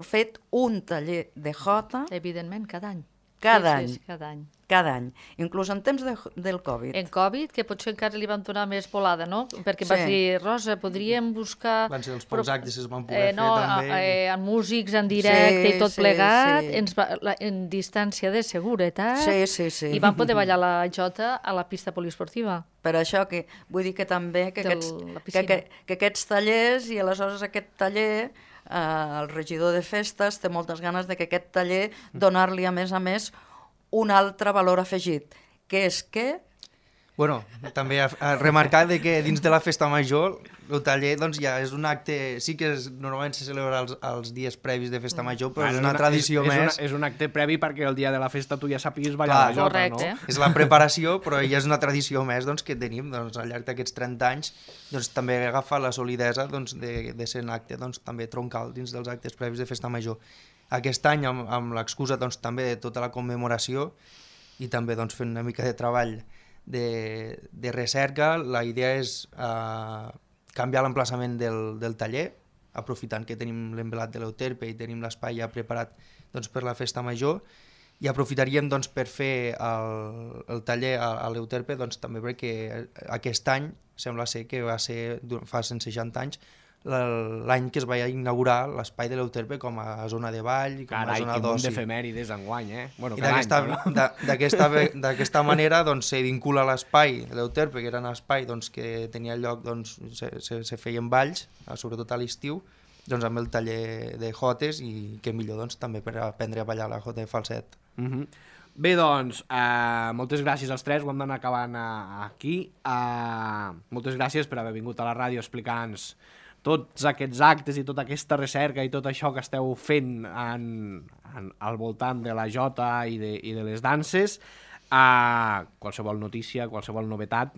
fet un taller de jota... Evidentment, cada any. Cada sí, any. Sí, cada any. Cada any, inclús en temps de, del Covid. En Covid, que potser encara li vam donar més volada, no? Perquè sí. Vas dir, Rosa, podríem buscar... Van ser els pocs actes que es van poder eh, no, fer també. Eh, amb músics en directe sí, i tot sí, plegat, sí. Ens va, la, en distància de seguretat, sí, sí, sí. i vam poder ballar la jota a la pista poliesportiva. Per això que vull dir que també que, Del, aquests, que, que, que aquests tallers, i aleshores aquest taller, eh, el regidor de festes té moltes ganes de que aquest taller donar-li a més a més un altre valor afegit, que és que... Bueno, també a, a remarcar de que dins de la festa major el taller doncs, ja és un acte, sí que és, normalment se celebra els, els dies previs de festa major, però bueno, és una, una tradició és, més... És, una, és un acte previ perquè el dia de la festa tu ja sàpiguis ballar Clar, la jota, correcte. No? És la preparació, però ja és una tradició més doncs, que tenim doncs, al llarg d'aquests trenta anys, doncs, també agafa la solidesa doncs, de, de ser un acte doncs, també troncal dins dels actes previs de festa major. Aquest any, amb, amb l'excusa doncs, també de tota la commemoració i també doncs, fent una mica de treball de, de recerca, la idea és eh, canviar l'emplaçament del, del taller, aprofitant que tenim l'envelat de l'Euterpe i tenim l'espai ja preparat doncs, per la festa major, i aprofitaríem doncs, per fer el, el taller a, a l'Euterpe doncs, també perquè aquest any sembla ser que va ser, fa cent seixanta anys, l'any que es va inaugurar l'espai de l'Euterpe com a zona de ball, com Carai, a zona d'oci. Carai, quin munt d'efemèrides enguany, eh? Bueno, I d'aquesta no? manera doncs, se vincula l'espai de l'Euterpe, que era un espai doncs, que tenia lloc, doncs, se, se, se feien balls, sobretot a l'estiu, doncs, amb el taller de jotes, i que millor doncs, també per aprendre a ballar la jota de falset. Uh-huh. Bé, doncs, uh, moltes gràcies als tres, ho hem d'anar acabant uh, aquí. Uh, moltes gràcies per haver vingut a la ràdio explicant-nos tots aquests actes i tota aquesta recerca i tot això que esteu fent en, en, al voltant de la jota i de, i de les danses. Uh, qualsevol notícia, qualsevol novetat,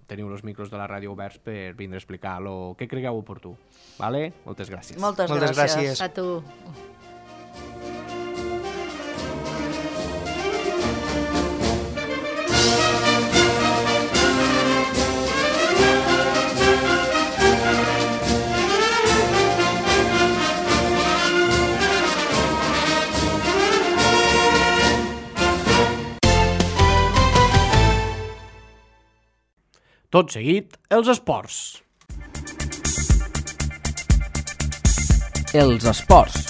teniu els micros de la ràdio oberts per vindre a explicar el que cregueu oportú. Vale? Moltes gràcies. Moltes, Moltes gràcies. gràcies. A tu. Tot seguit, els esports. Els esports.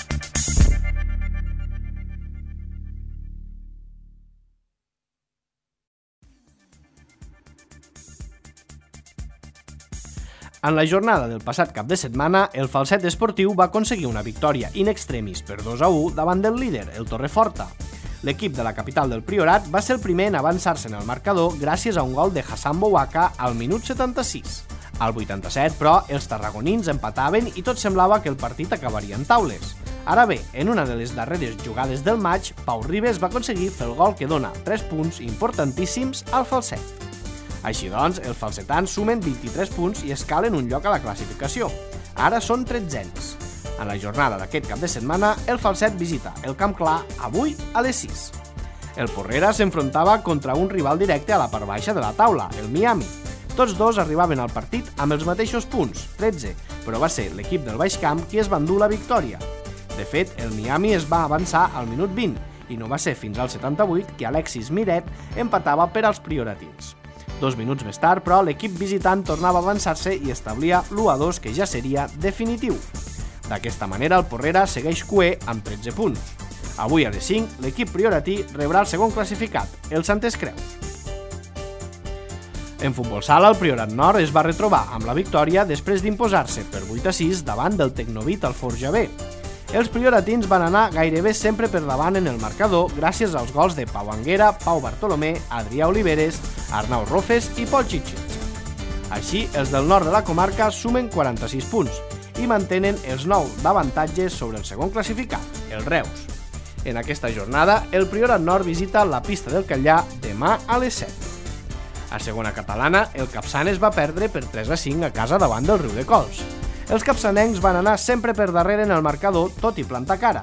En la jornada del passat cap de setmana, el Falset Esportiu va aconseguir una victòria in extremis per dos a u davant del líder, el Torreforta. L'equip de la capital del Priorat va ser el primer en avançar-se en el marcador gràcies a un gol de Hassan Bouaka al minut setanta-sis. Al vuitanta-set, però, els tarragonins empataven i tot semblava que el partit acabaria en taules. Ara bé, en una de les darreres jugades del maig, Pau Ribes va aconseguir fer el gol que dona tres punts importantíssims al Falset. Així doncs, els falsetans sumen vint-i-tres punts i escalen un lloc a la classificació. Ara són tretzens. En la jornada d'aquest cap de setmana, el Falset visita el Camp Clar avui a les sis. El Porrera s'enfrontava contra un rival directe a la part baixa de la taula, el Miami. Tots dos arribaven al partit amb els mateixos punts, tretze, però va ser l'equip del Baix Camp qui es va endur la victòria. De fet, el Miami es va avançar al minut vint i no va ser fins al setanta-vuit que Alexis Miret empatava per als prioratins. Dos minuts més tard, però, l'equip visitant tornava a avançar-se i establia l'u a dos que ja seria definitiu. D'aquesta manera, el Porrera segueix cuer amb tretze punts. Avui a les cinc, l'equip prioratí rebrà el segon classificat, el Santes Creus. En futbol sala, el Priorat Nord es va retrobar amb la victòria després d'imposar-se per vuit a sis davant del Tecnovit al Forja B. Els prioratins van anar gairebé sempre per davant en el marcador gràcies als gols de Pau Anguera, Pau Bartolomé, Adrià Oliveres, Arnau Rofes i Pol Chichich. Així, els del nord de la comarca sumen quaranta-sis punts i mantenen els nou d'avantatges sobre el segon classificat, el Reus. En aquesta jornada, el Priorat Nord visita la pista del Catllà demà a les set. A segona catalana, el Capçanes va perdre per tres a cinc a casa davant del Riu de Cols. Els capçanencs van anar sempre per darrere en el marcador, tot i plantar cara.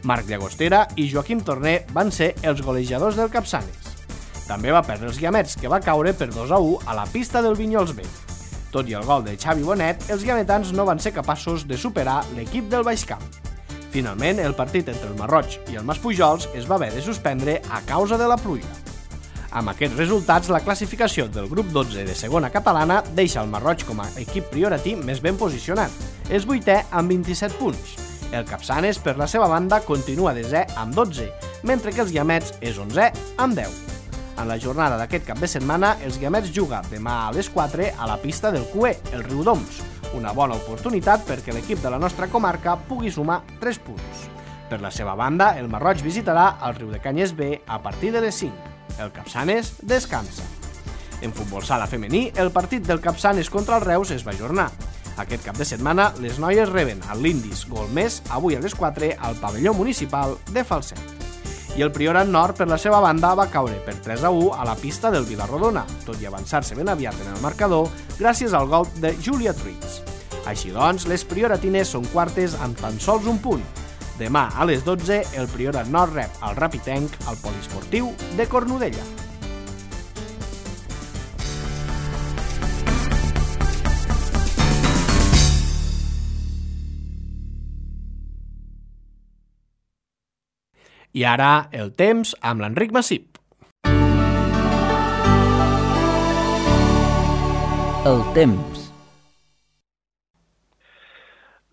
Marc Llagostera i Joaquim Torner van ser els golejadors del Capçanes. També va perdre els Guiamets, que va caure per dos a u a la pista del Vinyols B. Tot i el gol de Xavi Bonet, els guiametans no van ser capaços de superar l'equip del Baix Camp. Finalment, el partit entre el Marroig i el Maspujols es va haver de suspendre a causa de la pluja. Amb aquests resultats, la classificació del grup dotze de segona catalana deixa el Marroig com a equip prioratí més ben posicionat. És vuitè amb vint-i-set punts. El Capçanes, per la seva banda, continua desè amb dotze, mentre que els Guiamets és onzè amb deu. En la jornada d'aquest cap de setmana, els Guiamets juga demà a les quatre a la pista del Cué, el Riudoms, una bona oportunitat perquè l'equip de la nostra comarca pugui sumar tres punts. Per la seva banda, el Marroig visitarà el Riudecanyes B a partir de les cinc. El Capçanes descansa. En futbol sala femení, el partit del Capçanes contra el Reus es va ajornar. Aquest cap de setmana, les noies reben al Lindis Golmés avui a les quatre al pavelló municipal de Falset. I el Priorat Nord, per la seva banda, va caure per tres a u a la pista del Vilarrodona, tot i avançar-se ben aviat en el marcador gràcies al gol de Julia Truits. Així doncs, les prioratines són quartes amb tan sols un punt. Demà a les dotze, el Priorat Nord rep el Rapitenc al Poliesportiu de Cornudella. I ara, el temps amb l'Enric Massip. El temps.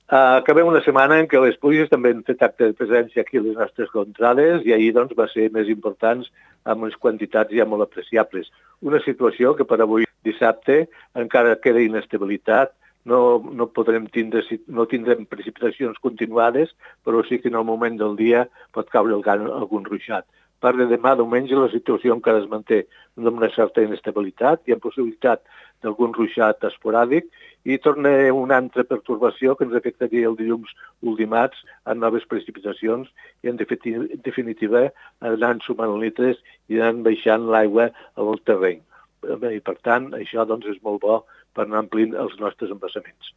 Uh, acabem una setmana en què les pluges també han fet acte de presència aquí a les nostres contrades i ahir doncs, va ser més importants amb unes quantitats ja molt apreciables. Una situació que per avui dissabte encara queda inestabilitat, no, no podrem tindre, no tindrem precipitacions continuades, però sí que en el moment del dia pot caure algun ruixat. Per de demà, diumenge, la situació encara es manté amb una certa inestabilitat, hi ha possibilitat d'algun ruixat esporàdic i torna una altra pertorbació que ens afectaria el dilluns ultimats en noves precipitacions i en definitiva anant sumant litres i anant baixant l'aigua al terreny. I per tant, això doncs, és molt bo per anar omplint els nostres embassaments.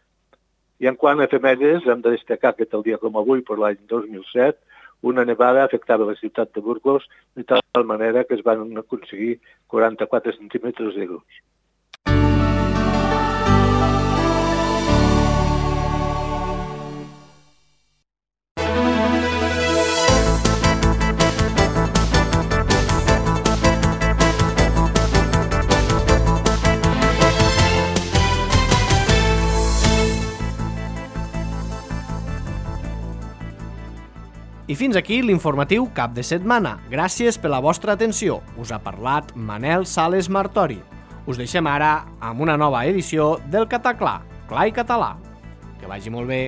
I en quant a efemèrides, hem de destacar que tal dia com avui, per l'any dos mil set, una nevada afectava la ciutat de Burgos de tal manera que es van aconseguir quaranta-quatre centímetres de gruix. I fins aquí l'informatiu cap de setmana. Gràcies per la vostra atenció. Us ha parlat Manel Sales Martori. Us deixem ara amb una nova edició del Cataclà, Clar i Català. Que vagi molt bé.